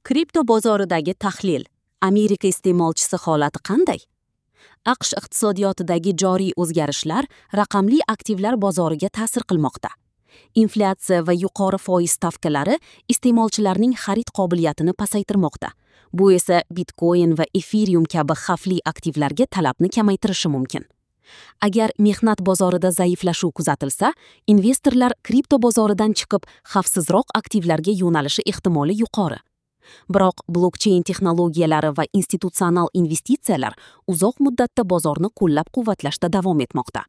Kripto bozoridagi tahlil. Amerika iste'molchisi holati qanday? AQSh iqtisodiyotidagi joriy o'zgarishlar raqamli aktivlar bozoriga ta'sir qilmoqda. Inflyatsiya va yuqori foiz stavkalari iste'molchilarning xarid qobiliyatini pasaytirmoqda. Bu esa Bitcoin va Ethereum kabi xavfli aktivlarga talabni kamaytirishi mumkin. Agar mehnat bozorida zaiflashuv kuzatilsa, investorlar kripto bozoridan chiqib, xavfsizroq aktivlarga yo'nalishi ehtimoli yuqori. Biroq blokcheyn texnologiyalari va institutsional investitsiyalar uzoq muddatda bozorni qo'llab-quvvatlashda davom etmoqda.